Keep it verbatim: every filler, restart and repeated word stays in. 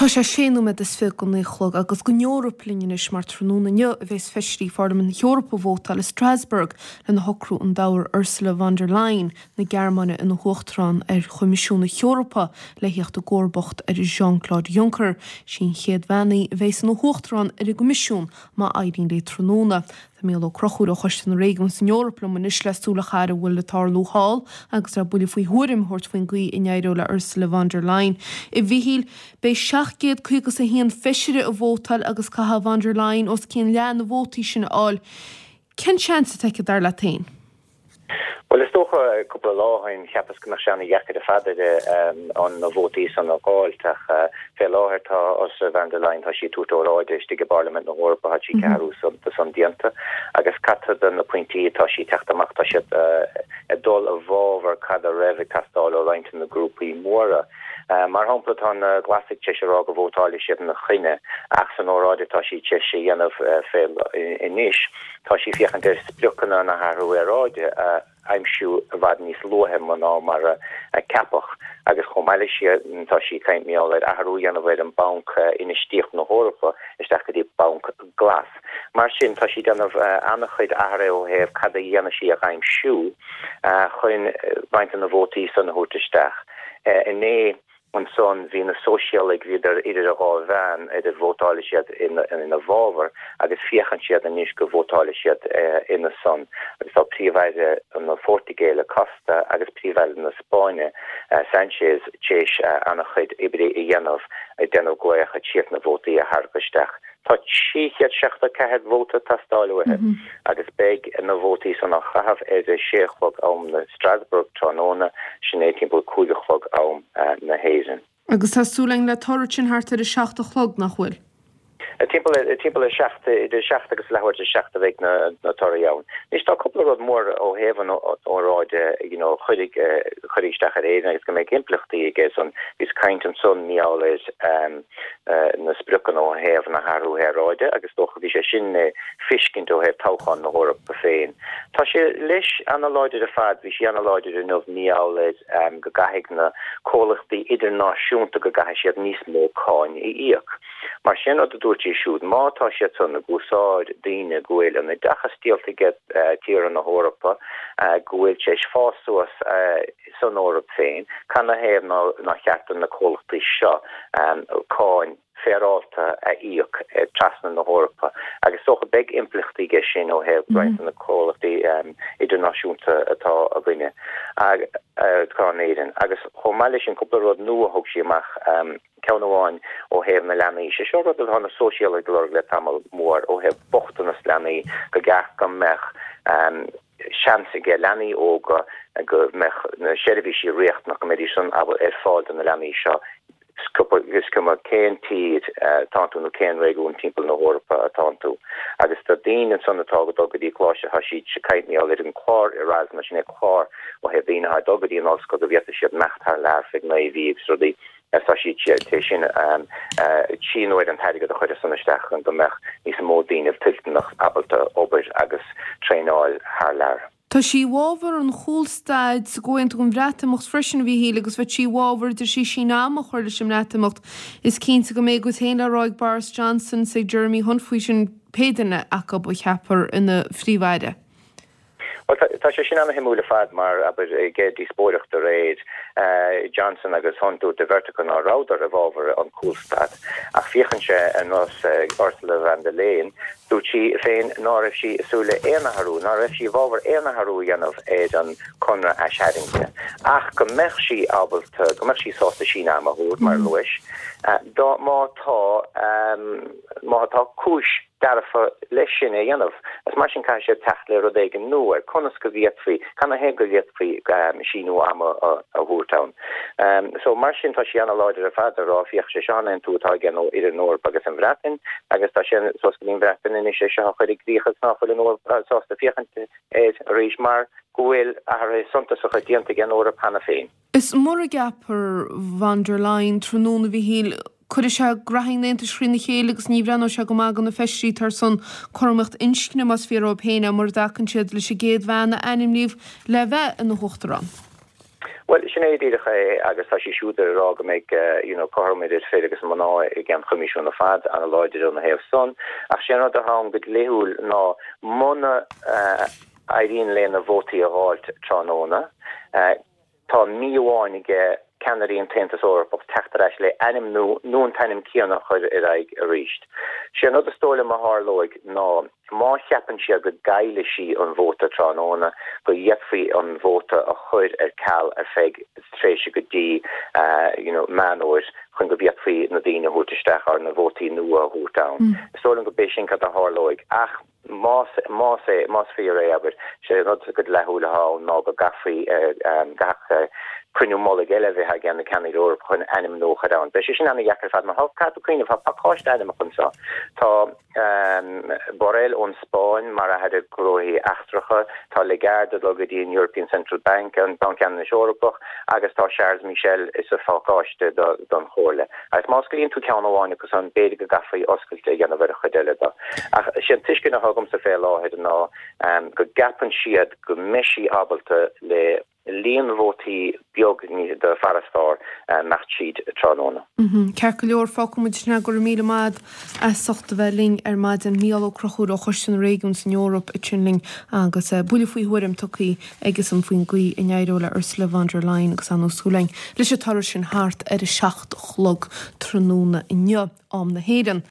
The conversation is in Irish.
Tá sé sé nóiméad is fiche go naoi a chlog agus don Eoraip linn anois mar tráthnóna inniu a bheas feisirí Pharlaimint na hEorpa ag vótáil i Strasbourg lena shocrú an dtoghfar Ursula von der Leyen na Gearmáine ina huachtarán ar Choimisiún na hEorpa le theacht i gcomharbacht ar Jean-Claude Juncker. Sí an chéad bhean í a bheas ina huachtarán ar an gCoimisiún má éiríonn léi tráthnóna. Tá Mícheál Ó Conchúir ó Choiste na Réigiún san Eoraip liom anois le súil a chaitheamh ar a bhfuil le tarlú thall agus le buille faoi thuairim a thabhairt faoin gcaoi a n-éireoidh le Ursula von der Leyen. A Mhichíl, beidh seacht gcéad caoga is a haon feisire ag vótáil agus caithfidh von der Leyen os cionn leath na vótaí sin a fháil. Cén seans atá aici dar leat féin? Well is dócha cúpla lá ó shin cheapas go mbeadh sé an-dheacair ar fad an na vótaí san a fháil ach fé láthair tá Ursula von der Leyen tá sí ag tabhairt óráide istigh i bParlaimint na hEorpa tá sí ceathrú san déanta agus cad de na pointí tá sí teacht amach tá siad ag dul i bhfabhar cad a raibh ag teastáil ó roinnt na grúpaí móra. Mar shampla tá na Glasaigh tar éis a rá go vótálfaidh siad ina coinne ach san óráid atá sí tar éis a dhéanamh fé anois tá sí féachaint ar spriocanna na hathrú aeráide a aimsiú i bhfad níos luaithe ná mar a ceapadh agus chomh maith leis sin tá sí ag caint mar gheall ar athrú a dhéanamh ar an Banc Infheistíochta na hEorpa isteach go dtí Banc Glas. Mar sin tá sí ag déanamh an-chuid athruithe ó thaobh cad a dhéanfaidh sí a aimsiú chun roinnt de na vótaí san a thabhairt isteach. Inné ansan bhí na sóisialaigh bhíodar idir a dhá mheán idir vótálfaidh siad ina ina bhfabhar agus féachann siad anois go vótálfaidh siad ina son agus tá Príomh-Aire na Portaingéile Costa agus Príomh-Aire na Spáinne Sanchez tar éis an-chuid oibre a dhéanamh ag déanamh glaoch siad na vótaí a tharraingt isteach. Tá trí chéad seachtó ceathair vóta ag teastáil uathu agus beidh na vótaí san á chaitheamh ar a sé a chlog am na Strasbourg tráthnóna, sin é timpeall cúig a chlog am na hÉireann. Agus tá súil againn le toradh sin thart ar a seacht a chlog, nach bhfuil? Timpeall timpeall a seacht idir seacht agus leathuair tar seacht a bheidh na na torthaí ann. Anois tá cúpla rud mór ó thaobh an óráide you know chuirfidh chuirfidh isteach ar Éirinn agus go mbeidh impleachtaí aige san. Bhíos caint ansan mar gheall ar na spriocanna ó thaobh na hathrú aeráide agus dócha bhí sé sin le feiscint ó thaobh toghchán na hEorpa féin. Tá sé leis an-láidir ar fad, bhí sí an-láidir inniu mar gheall ar go gcaithfidh na comhlachtaí idirnáisiúnta go gcaithfidh siad níos mó cáin a íoc. Mar sin rud a dúirt sí siúd, má tá siad san ag úsáid daoine go bhfuil an oideachas díolta aige tíortha na hEorpa, go bhfuil tar éis fás suas san Eoraip féin, canathaobh nár cheart do na comhlachtaí seo cáin féaráilte a íoc trasna na hEorpa agus is dócha beidh impleachtaí aige sin ó thaobh roinnt de na comhlachtaí idirnáisiúnta atá againne atá in Éirinn. Agus chomh maith leis sin cúpla rud nua a thug sí amach, ceann amháin ó thaobh na leanaí, sé seo rud atá na sóisialaigh ag lorg le tamall mór ó thaobh bochtanas leanaí go gceart go mbeadh seans aige leanaí óga go mbeadh na seirbhísí riachtanach go mbeidís san ar fáil do na leanaí seo is cuma cén tír atá tú nó cén réigiún timpeall na hEorpa atá tú. Agus do daoine ansan atá ag dul go dtí coláiste tá siad ag caint mar gheall ar an clár Erasmus sin é clár ó thaobh daoine atá ag dul go dtí an ollscoil go bhféadfaidh siad imeacht thar lear feadh naoi mhí agus rudaí agus tá siad tar éis sin síniú ar an t-airgead a chur san isteach chun go mbeadh níos mó daoine toilteanach ábalta obair agus traenáil thar lear. Tá sí i bhfabhar an chúlstad sa gComhaontú um Bhreatimeacht freisin, a Mhíchíl, agus bheadh sí i bhfabhar, a deir sí, síneadh ama a chur leis an mBreatimeacht. Is cinnte go mbeidh a gcuid féin le rá ag Boris Johnson is ag Jeremy Hunt faoi sin, pé duine acu a cheapfar ina Phríomh-Aire. Bhuel, tá sé sin an-shuimiúil ar fad mar, abair, ag díospóireacht aréir, Johnson agus Hunt, dúirt an bheirt acu ná rabhadar i bhfabhar an cúlstad. Ach féachann sé ar nós Ursula von der Leyen, dúirt sí féin ná raibh sí ag súil le aon athrú, ná raibh sí i bhfabhar aon athrú a dhéanamh ar an conradh aistarraingte, ach go mbeadh sí ábalta, go mbeadh sí sásta síneadh ama a thabhairt, mar a luais, dá, má tá, má tá cúis dearfa leis sin a dhéanamh. Is mar sin caithfidh siad teacht le rud éigin nua ar conas go bhféadfaí, canathaobh go bhféadfaí síniú ama a thabhairt ann. So mar sin tá sí ana-láidir ar fad ag rá féach sé seo an aontú atá aige nó idir an Eoraip agus an Bhreatain agus tá sé suas go dtí an Bhreatain anois é seo a chur i gcrích agus ná fuil an Eoraip sásta féachaint air arís mar go bhfuil athruithe suntasacha déanta ag an Eoraip cheana féin. Is mura gceapfar von der Leyen tráthnóna, a Mhíchíl, cuirfidh sé graithí an Aontais thrína chéile agus ní bhreathnóidh sé go maith do na feisirí atá ar son cothromaíocht inscne, más fíor dóibh féin é, mura dtacann siad leis an gcéad bhean a ainmníodh le bheith ina huachtarán. Bhuel, sin é díreach é agus tá sí siúd ag rá go mbeidh you know, cothrom idir fir agus mná i gceann Choimisiún ar fad an-láidir ina thaobh san. Ach sé an rud atá ann go dlíthiúil ná muna uh, éiríonn léi na vótaí a fháilt tráthnóna, uh, tá mí amháin aige ceannairí an tAontas Eorpach teacht ar ais le ainm nó nó an t-ainm céanna a chur ar aghaidh arís. Sé an rud is dóigh liom a tharlóidh ná má cheapann siad go gcaillfidh sí an vóta tráthnóna go bhféadfaí an vóta a chur ar ceal ar feadh tréimhse go dtí uh, you know, Meán Fómhair chun go bhféadfaí na daoine a thabhairt isteach ar na vótaí nua a thabhairt ann. Mm. Is dóigh liom go b'é sin cad a tharlóidh ach más más é más fíor é abair sé rud go dlíthiúil atá ná go gcaithfí gach cruinniú mullaigh eile bheith ag na ceannairí Eorpacha chun ainm nua a chur ann. Beidh sé sin an-deacair ar fad mar caithfidh tú cuimhneamh tá pacáiste ainmneacha anseo. Tá um, Borrell ón Spáinn mar aire gnóthaí eachtracha, tá Lagarde go dtí an European Central Bank an Banc Ceannais Eorpach agus tá Charles Michel is a phacáiste don Chomhairle. Agus má scaoileann tú ceann amháin agus an b'fhéidir go gcaithfí oscailt a dhéanamh ar a chuid eile dó. Ach sin tuiscint atá agamsa fé láthair ná um, go gceapann siad go mbeidh sí ábalta le líon vótaí beag ní de farasbarr imeacht tríd tráthnóna. Mhm. Ceart go leor fágfaimid sin go raibh míle maith as ucht a bheith linn ar maidin Mícheál Ó Conchúir ó Choiste na Réigiún san Eoraip ansin linn agus eh, buille faoi thuairim tugtha aigesan faoin gcaoi a n-éireoidh le Ursula von der Leyen agus an súlein leis an toradh sin thart ar a seacht a chlog tráthnóna inniu am na hÉireann.